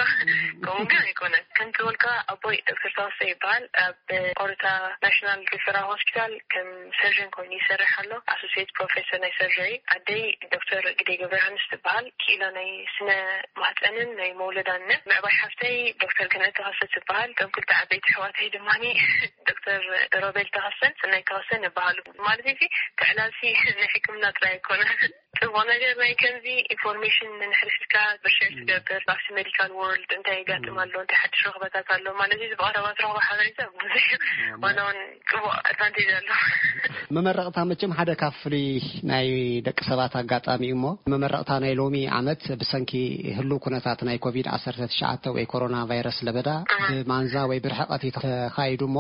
ከምኡ ግን ኣይኮነን። ከምቲ በልካ ኣቦይ ዶክተር ተወሰ ይበሃል። ኣብ ኦሮታ ናሽናል ሪፈራል ሆስፒታል ከም ሰርጀን ኮይኑ ይሰርሕ ኣሎ። ኣሶሲየት ፕሮፌሰር ናይ ሰርጀሪ። ኣደይ ዶክተር ግደይ ገብረ ዮሃንስ ትበሃል። ክኢላ ናይ ስነ ማህፀንን ናይ መውለዳን። ምዕባይ ሓፍተይ ዶክተር ገነት ተኸሰ ትበሃል። እቶም ክልተ ዓበይቲ ኣሕዋተይ ድማ ዶክተር ሮቤል ተኸሰን ሰናይ ተኸሰን ይበሃሉ። ማለት እዚ ክዕላልሲ ናይ ሕክምና ጥራይ ኣይኮነን። ጽቡቕ ነገር ናይ ከምዚ ኢንፎርሜሽን ንሕርሽካ ብርሸር ትገብር ኣብቲ ሜዲካል ወርልድ እንታይ ይጋጥም ኣሎ፣ እንታይ ሓድሽ ረኽበታት ኣሎ ማለት እዩ። ብቐረባ ትረኽቦ ሓበሬታ ብዙሕ እዩ። ዋላ እውን ጽቡቕ ኣድቫንቴጅ ኣሎ። መመረቕታ መቸም ሓደ ካብ ፍሉይ ናይ ደቂ ሰባት ኣጋጣሚ እዩ እሞ፣ መመረቕታ ናይ ሎሚ ዓመት ብሰንኪ ህሉው ኩነታት ናይ ኮቪድ ዓሰርተ ትሽዓተ ወይ ኮሮና ቫይረስ ለበዳ ብማንዛ ወይ ብርሕቐት እዩ ተኻይዱ እሞ፣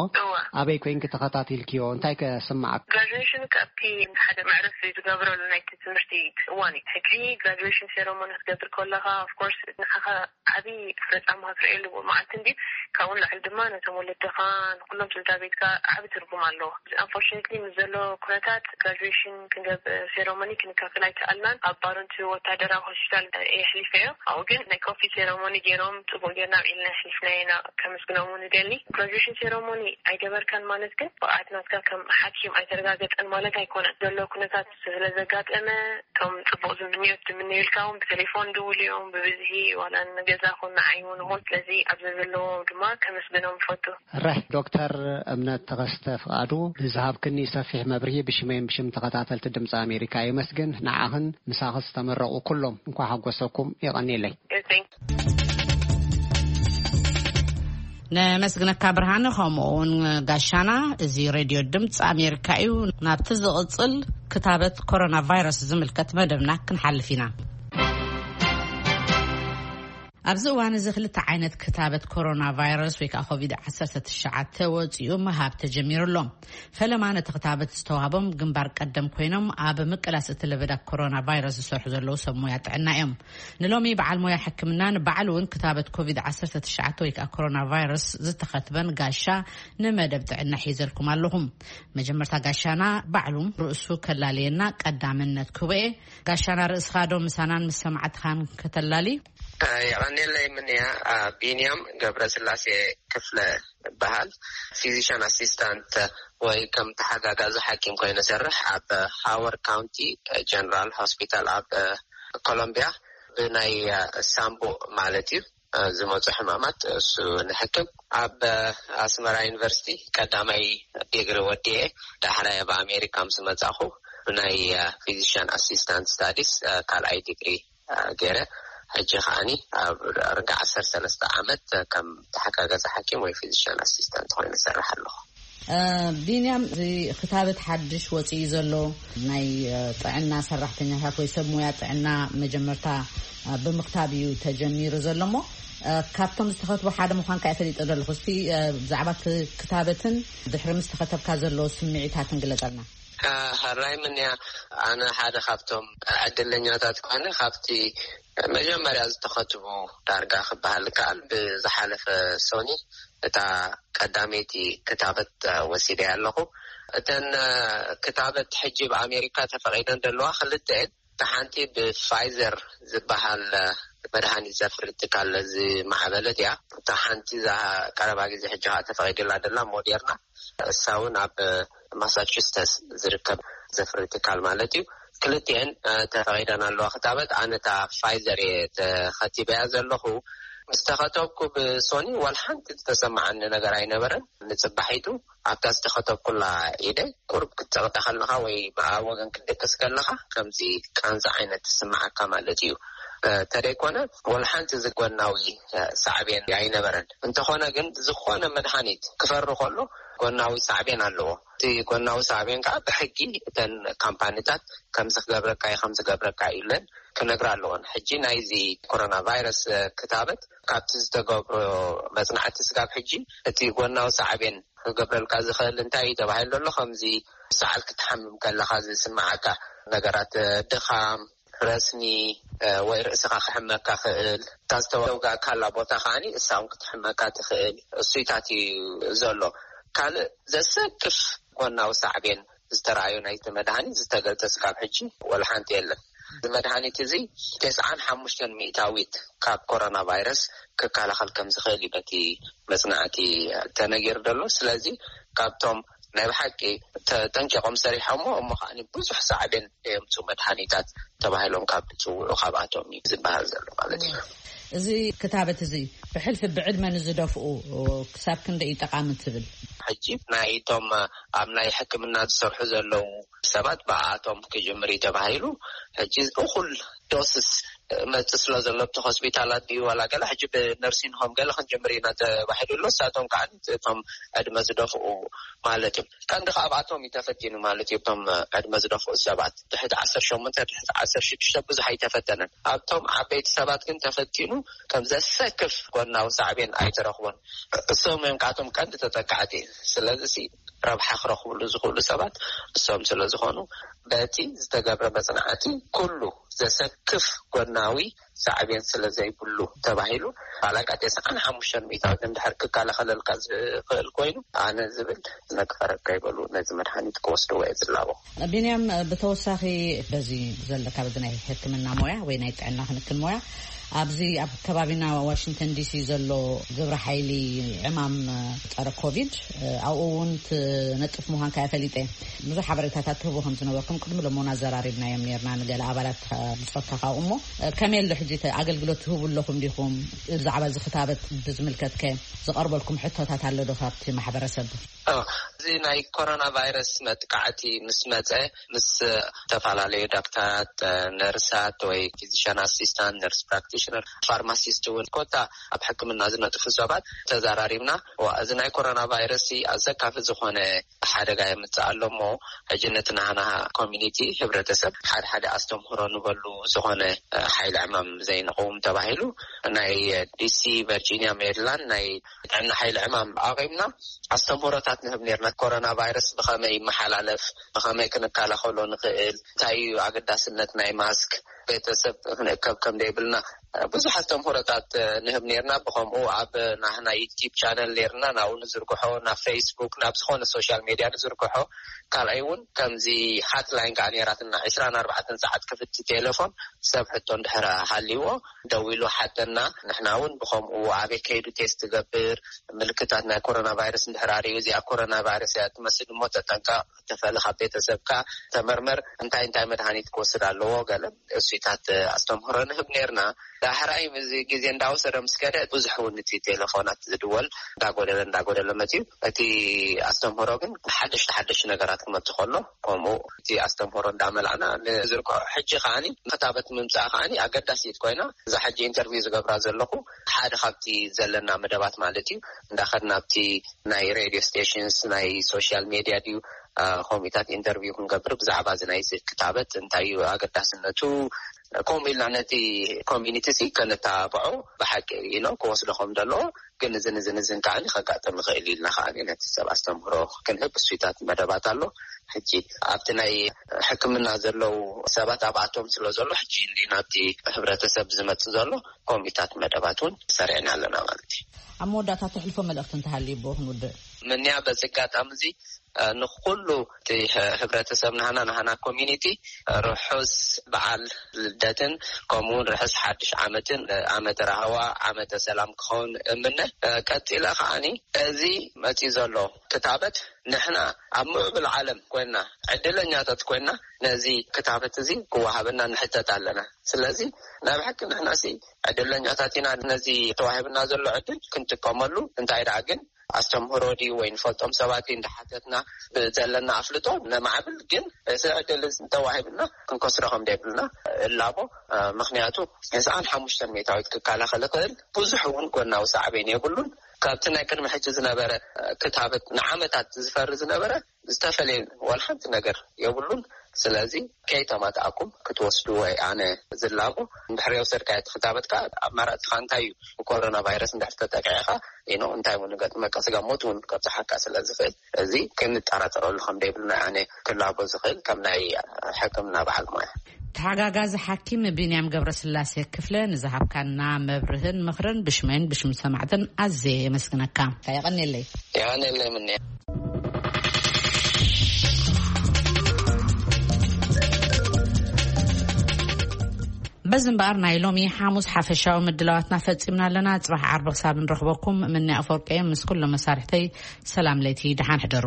ኣበይ ኮይንኪ ተኸታቲልክዮ? እንታይ ከስምዓክ? ግራጁዌሽን ካብቲ ሓደ መዕረፊ ዝገብረሉ ናይቲ ትምህርቲ እዋን እዩ። ሕጂ ግራጁዌሽን ሴረሞኒ ክትገብር ከለኻ፣ ኦፍኮርስ፣ ንዓኻ ዓቢ ፍረጻማ ክትርእየሉ መዓልቲ እንዲ። ካብኡ ንላዕሊ ድማ ነቶም ወለድኻ፣ ንኩሎም ስድራ ቤትካ ዓቢ ትርጉም ኣለዎ። ኣንፎርቹኔትሊ፣ ምስ ዘሎ ኩነታት ግራጁዌሽን ክንገብር ሴረሞኒ ክንካፈል ኣይከኣልናን። ኣብ ባረንቱ ወታደራዊ ሆስፒታል እየ ኣሕሊፈዮ። ኣብኡ ግን ናይ ኮፊ ሴረሞኒ ገይሮም ጽቡቕ ጌርና ኣብዒልና ኣሕሊፍናዮ ኢና። ከመስግኖም እውን እደሊ። ግራጁዌሽን ሴረሞኒ ኣይገበርካን ማለት ግን ብቕዓት ናትካ ከም ሓኪም ኣይተረጋገጸን ማለት ኣይኮነን። ዘሎ ኩነታት ስለ ዘጋጠመ፣ እቶም ጽቡቕ ዝምንዮት ዝምነዩልካ እውን ብቴሌፎን ድውል እዮም፣ ብብዝሒ ዋላ ንገዛ ኹን ንዓይ እውን ይኹን። ስለዚ ኣብዚ ዘለዉ ድማ ከመስግኖም እፈቱ። ርሕ ዶክተር እምነት ተኸስተ ፍቓዱ ንዝሃብክኒ ሰፊሕ መብርሂ ብሽመይን ብሽም ተኸታተልቲ ድምፂ ኣሜሪካ የመስግን። ንዓኽን ምሳኺ ዝተመረቑ ኩሎም እንኳ ሓጎሰኩም። የቐንየለይ። Thank you. ነመስግነካ ብርሃነ፣ ከምኡ እውን ጋሻና። እዚ ሬድዮ ድምፂ ኣሜሪካ እዩ። ናብቲ ዝቕፅል ክታበት ኮሮና ቫይረስ ዝምልከት መደብና ክንሓልፍ ኢና። ኣብዚ እዋን እዚ ክልተ ዓይነት ክታበት ኮሮና ቫይረስ ወይ ከዓ ኮቪድ ዓሰርተ ትሽዓተ ወፂኡ ምሃብ ተጀሚሩ ኣሎ። ፈለማ ነቲ ክታበት ዝተዋህቦም ግንባር ቀደም ኮይኖም ኣብ ምቅላስ እቲ ለበዳ ኮሮና ቫይረስ ዝሰርሑ ዘለዉ ሰብ ሞያ ጥዕና እዮም። ንሎሚ በዓል ሞያ ሕክምና ንባዕሉ እውን ክታበት ኮቪድ ዓሰርተ ትሽዓተ ወይ ከዓ ኮሮና ቫይረስ ዝተኸትበን ጋሻ ንመደብ ጥዕና ሒዘልኩም ኣለኹም። መጀመርታ ጋሻና ባዕሉ ርእሱ ከላለየና ቀዳምነት ክህቦ እየ። ጋሻና ርእስኻ ዶ ምሳናን ምስ ሰማዕትኻን ከተላሊ? የቐኔለይ ምንያ። ቢንያም ገብረ ስላሴ ክፍለ ይበሃል። ፊዚሽን ኣሲስታንት ወይ ከም ተሓጋጋዚ ሓኪም ኮይኑ ሰርሕ ኣብ ሃወርድ ካውንቲ ጀነራል ሆስፒታል ኣብ ኮሎምቢያ ብናይ ሳምቦ ማለት እዩ ዝመፁ ሕማማት እሱ ንሕክም። ኣብ ኣስመራ ዩኒቨርሲቲ ቀዳማይ ዲግሪ ወዲኤ ዳሕራይ ኣብ ኣሜሪካ ምስ መፃኹ ብናይ ፊዚሽን ኣሲስታንት ስታዲስ ካልኣይ ዲግሪ ገይረ። ሕጂ ከዓኒ ኣብ ርጋ ዓሰርተ ሰለስተ ዓመት ከም ተሓጋጋዚ ሓኪም ወይ ፊዚሽን ኣሲስታንት ኮይኑ እሰርሕ ኣለኹ። ቢንያም፣ እዚ ክታበት ሓድሽ ወፂኡ ዘሎ ናይ ጥዕና ሰራሕተኛታት ወይ ሰብ ሙያ ጥዕና መጀመርታ ብምክታብ እዩ ተጀሚሩ ዘሎ እሞ፣ ካብቶም ዝተኸትቡ ሓደ ምዃንካ እየ ፈሊጠ ዘለኹ። እስቲ ብዛዕባ ክታበትን ድሕሪ ምስ ተኸተብካ ዘሎ ስምዒታትን ግለፀልና። ሕራይ ምንያ፣ ኣነ ሓደ ካብቶም ዕድለኛታት ኮነ ካብቲ መጀመርያ ዝተኸትቡ ዳርጋ ክበሃል ከኣል። ብዝሓለፈ ሶኒ እታ ቀዳመይቲ ክታበት ወሲደ ኣለኹ። እተን ክታበት ሕጂ ብኣሜሪካ ተፈቒደን ዘለዋ ክልተ እየን። እታ ሓንቲ ብፋይዘር ዝበሃል መድሃኒት ዘፍሪ ትካል ዝማዕበለት እያ። እታ ሓንቲ እዛ ቀረባ ግዜ ሕጂ ከዓ ተፈቒድላ ደላ ሞዴርና፣ እሳ እውን ኣብ ማሳቹስተስ ዝርከብ ዘፍሪ ትካል ማለት እዩ። ክልቲኤን ተፈቒደን ኣለዋ ክታበት። ኣነ እታ ፋይዘር እየ ተኸቲበያ ዘለኹ። ምስ ተኸተብኩ ብሶኒ ዋላ ሓንቲ ዝተሰማዓኒ ነገር ኣይነበረን። ንፅባሒቱ ኣብታ ዝተኸተብኩላ ኢደ ቁሩብ ክትፀቕጠ ከለኻ ወይ ብኣ ወገን ክትደቅስ ከለኻ ከምዚ ቃንዛ ዓይነት ትስምዓካ ማለት እዩ። ተደይኮነ ዋላ ሓንቲ ዝጎናዊ ሳዕቤን ኣይነበረን። እንተኾነ ግን ዝኾነ መድሃኒት ክፈሪ ከሎ ጎናዊ ሳዕቤን ኣለዎ። እቲ ጎናዊ ሳዕቤን ከዓ ብሕጊ እተን ካምፓኒታት ከምዚ ክገብረካ እዩ ከምዚ ክገብረካ እዩ ኢለን ክነግራ ኣለዎን። ሕጂ ናይዚ ኮሮና ቫይረስ ክታበት ካብቲ ዝተገብሮ መፅናዕቲ ስጋብ ሕጂ እቲ ጎናዊ ሳዕቤን ክገብረልካ ዝኽእል እንታይ እዩ ተባሂሉ ዘሎ? ከምዚ ሰዓል ክትሓምም ከለኻ ዝስምዓካ ነገራት፣ ድኻም፣ ረስኒ፣ እ፣ ወይ ርእስኻ ክሕመካ ክእል፣ እታ ዝተወጋእካላ ቦታ ከዓኒ እሳ እውን ክትሕመካ ትኽእል። እሱይታት እዩ ዘሎ። ካልእ ዘሰክፍ ጎናዊ ሳዕቤን ዝተረኣዩ ናይቲ መድሃኒት ዝተገልጸ ስጋብ ሕጂ ወላ ሓንቲ የለን። እዚ መድሃኒት እዚ ተስዓን ሓሙሽተን ሚእታዊት ካብ ኮሮና ቫይረስ ክከላኸል ከም ዝኽእል እዩ በቲ መጽናዕቲ ተነጊሩ ዘሎ። ስለዚ ካብቶም ናይ ብሓቂ ተጠንቂቖም ሰሪሖሞ እሞ ከዓኒ ብዙሕ ሳዕቤን ዘየምፁ መድሃኒታት ተባሂሎም ካብ ዝፅውዑ ካብኣቶም እዩ ዝበሃል ዘሎ ማለት እዩ። እዚ ክታበት እዚ ብሕልፊ ብዕድመ ንዝደፍኡ ክሳብ ክንደይ እዩ ጠቓሚ ትብል? ሕጂ ናይቶም ኣብ ናይ ሕክምና ዝሰርሑ ዘለዉ ሰባት ብኣቶም ክጅምር እዩ ተባሂሉ። ሕጂ እኹል ዶስስ መጽእ ስለ ዘሎ ኣብቲ ሆስፒታላት ድዩ ዋላ ገለ ሕጂ ብነርሲንግ ሆም ገለ ክንጅምር ኢና ተባሂሉ ኣሎ። እሳቶም ከዓ እቶም ዕድመ ዝደፍኡ ማለት እዩ። ቀንዲ ካብኣቶም እዩ ተፈቲኑ ማለት እዩ። እቶም ዕድመ ዝደፍኡ ሰባት ትሕቲ ዓሰርተ ሸሞንተ፣ ትሕቲ ዓሰርተ ሽዱሽተ ብዙሕ ኣይተፈተነን። ኣብቶም ዓበይቲ ሰባት ግን ተፈቲኑ ከም ዘሰክፍ ጎናዊ ሳዕቤን ኣይተረኽቦን። እሶም እዮም ካብቶም ቀንዲ ተጠቃዕቲ። ስለዚ ሲ ረብሓ ክረኽብሉ ዝኽእሉ ሰባት እሶም ስለ ዝኾኑ በቲ ዝተገብረ መጽናዕቲ ኩሉ ዘሰክፍ ጎናዊ ሳዕቤን ስለ ዘይብሉ ተባሂሉ ባላጋ ተስዓን ሓሙሽተን ሚእታዊት እንድሕር ክከላኸለልካ ዝኽእል ኮይኑ ኣነ ዝብል ነግፈረካ ይበሉ ነዚ መድሃኒት ክወስድዎ እየ ዝላቦ። ቢንያም፣ ብተወሳኺ በዚ ዘለካ በዚ ናይ ሕክምና ሞያ ወይ ናይ ጥዕና ክንክን ሞያ ኣብዚ ኣብ ከባቢና ዋሽንግተን ዲሲ ዘሎ ግብረ ሓይሊ ዕማም ጸረ ኮቪድ ኣብኡ እውን ትነጥፍ ምዃንካ እየ ፈሊጠ። ብዙሕ ሓበሬታታት ትህቡ ከም ዝነበርኩም ቅድሚ ሎሞና ኣዘራሪብናዮም ነርና ንገለ ኣባላት ብጾትካ ካብኡ። እሞ ከመይ ኣሎ ሕጂ እቲ ኣገልግሎት ትህቡ ኣለኹም ዲኹም? ብዛዕባ እዚ ክታበት ብዝምልከትከ ዝቐርበልኩም ሕቶታት ኣሎ ዶ ካብቲ ማሕበረሰብ? እዚ ናይ ኮሮና ቫይረስ መጥቃዕቲ ምስ መጸ ምስ ዝተፈላለዩ ዳክተራት፣ ነርሳት ወይ ፊዚሽን ኣሲስታንት፣ ነርስ ፕራክቲሽነር፣ ፋርማሲስት እውን ኮታ ኣብ ሕክምና ዝነጥፉ ሰባት ተዛራሪብና። ዋ፣ እዚ ናይ ኮሮና ቫይረስ ኣዘካፊ ዝኾነ ሓደጋ የምጽእ ኣሎ እሞ ሕጂ ነቲ ናህና ኮሚኒቲ፣ ህብረተሰብ፣ ሓደ ሓደ ኣስተምህሮ ንበሉ ዝኾነ ሓይሊ ዕማም ዘይንቐውም ተባሂሉ ናይ ዲሲ፣ ቨርጂኒያ፣ ሜሪላንድ ናይ ጥዕና ሓይሊ ዕማም ኣቒምና ኣስተምህሮታት ንህብ ነርና። ኮሮና ቫይረስ ብኸመይ ይመሓላለፍ፣ ብኸመይ ክንከላኸሎ ንኽእል፣ እንታይ እዩ ኣገዳስነት ናይ ማስክ፣ ቤተሰብ ክንእከብ ከም ደይብልና ብዙሕ ኣስተምህሮታት ንህብ ነርና። ብኸምኡ ኣብ ናህና ዩቲዩብ ቻነል ነርና ናብኡ ንዝርግሖ፣ ናብ ፌስቡክ፣ ናብ ዝኾነ ሶሻል ሜድያ ንዝርግሖ። ካልኣይ እውን ከምዚ ሃትላይን ከዓ ነራትና ዕስራን ኣርባዕተን ሰዓት ክፍቲ ቴሌፎን ሰብ ሕቶ እንድሕር ሃልይዎ ደዊሉ ሓተና። ንሕና እውን ብኸምኡ ኣበይ ከይዱ ቴስት ትገብር፣ ምልክታት ናይ ኮሮና ቫይረስ እንድሕር ኣርእዩ እዚኣ ኮሮና ቫይረስ እያ ትመስል እሞ ተጠንቀቕ፣ ተፈሊ ካብ ቤተሰብካ፣ ተመርመር፣ እንታይ እንታይ መድሃኒት ክወስድ ኣለዎ ገለ እሱይታት ኣስተምህሮ ንህብ ነርና። ዳሕራይ እዚ ግዜ እንዳወሰደ ምስ ከደ ብዙሕ እውን እቲ ቴሌፎናት ዝድወል እንዳጎደለ እንዳጎደለ መፅዩ። እቲ ኣስተምህሮ ግን ሓደሽቲ ሓደሽቲ ነገራት ክመፅእ ከሎ ከምኡ እቲ ኣስተምህሮ እንዳመላእና ንዝርግሖ። ሕጂ ከዓኒ ክታበት ምምፃእ ከዓኒ ኣገዳሲት ኮይና እዛ ሕጂ ኢንተርቪው ዝገብራ ዘለኹ ሓደ ካብቲ ዘለና መደባት ማለት እዩ። እንዳኸድና ኣብቲ ናይ ሬድዮ ስቴሽንስ ናይ ሶሻል ሜድያ ድዩ ከምኡታት ኢንተርቪው ክንገብር ብዛዕባ እዚ ናይ ክታበት እንታይ እዩ ኣገዳስነቱ ከምኡ ኢልና ነቲ ኮሚኒቲ ሲ ከነተባብዖ ብሓቂ ኢሎም ክወስዶ ከም ዘለዎ ግን እዝን እዝን እዝን ከዓኒ ከጋጥም ይኽእል ኢልና ከዓኒ ነቲ ሰብ ኣስተምህሮ ክንህብ እሱይታት መደባት ኣሎ። ሕጂ ኣብቲ ናይ ሕክምና ዘለዉ ሰባት ኣብኣቶም ስለ ዘሎ ሕጂ እንዲ ናብቲ ህብረተሰብ ዝመጽእ ዘሎ ኮሚታት መደባት እውን ሰሪዕና ኣለና ማለት እዩ። ኣብ መወዳእታ ተሕልፎ መልእኽቲ እንተሃልዩ ብኡ ክንውድእ። ምንያ በዚ ኣጋጣሚ እዚ ንኩሉ እቲ ህብረተሰብ ናህና ናህና ኮሚኒቲ ርሑስ በዓል ልደትን ከምኡውን ርሑስ ሓድሽ ዓመትን ዓመተ ራህዋ ዓመተ ሰላም ክኸውን እምነ። ቀጺለ ከዓኒ እዚ መጺ ዘሎ ክታበት ንሕና ኣብ ምዕብል ዓለም ኮይና ዕድለኛታት ኮይና ነዚ ክታበት እዚ ክወሃበና ንሕተት ኣለና። ስለዚ ናይ ብሓቂ ንሕና ሲ ዕድለኛታት ኢና። ነዚ ተዋሂብና ዘሎ ዕድል ክንጥቀመሉ እንታይ ደኣ ግን ኣስተምህሮ ድዩ ወይ ንፈልጦም ሰባት እዩ እንዳሓተትና ብዘለና ኣፍልጦ ነማዕብል ግን እዚ ዕድል እዚ እንተዋሂብና ክንከስሮ ከም ደይብልና እላቦ። ምክንያቱ ተስዓን ሓሙሽተን ሚእታዊት ክከላኸል ይኽእል ብዙሕ እውን ጎናዊ ሳዕቤን የብሉን። ካብቲ ናይ ቅድሚ ሕጂ ዝነበረ ክታበት ንዓመታት ዝፈሪ ዝነበረ ዝተፈለየ ዋላ ሓንቲ ነገር የብሉን። ስለዚ ከይተማትኣኩም ክትወስድዎ ኣነ ዝላቦ። እንድሕር የውሰድካ ትኽታበት ከኣ ኣማራጺኻ እንታይ እዩ? ብኮሮና ቫይረስ እንድሕር ተጠቂዕኻ ኢኖ እንታይ እውን ንገጥመካ፣ ስጋ ሞት እውን ከብጽሓካ ስለ ዝኽእል፣ እዚ ክንጠራጠረሉ ከም ደይብልና ኣነ ክላቦ ዝኽእል ከም ናይ ሕክምና በዓል ሞያ። ተሓጋጋዚ ሓኪም ቢንያም ገብረስላሴ ክፍለ ንዝሃብካና መብርህን ምኽርን ብሽመይን ብሽም ሰማዕትን ኣዝየ የመስግነካ። የቐንየለይ። የቐንየለይ ምንያ። በዚ እምበኣር ናይ ሎሚ ሓሙስ ሓፈሻዊ ምድላዋትና ፈጺምና ኣለና። ጽባሕ ዓርቢ ክሳብ ንረኽበኩም ምንያ ኣፈወርቀየ ምስ ኩሎም መሳርሕተይ ሰላም ለይቲ፣ ደሓን ሕደሩ።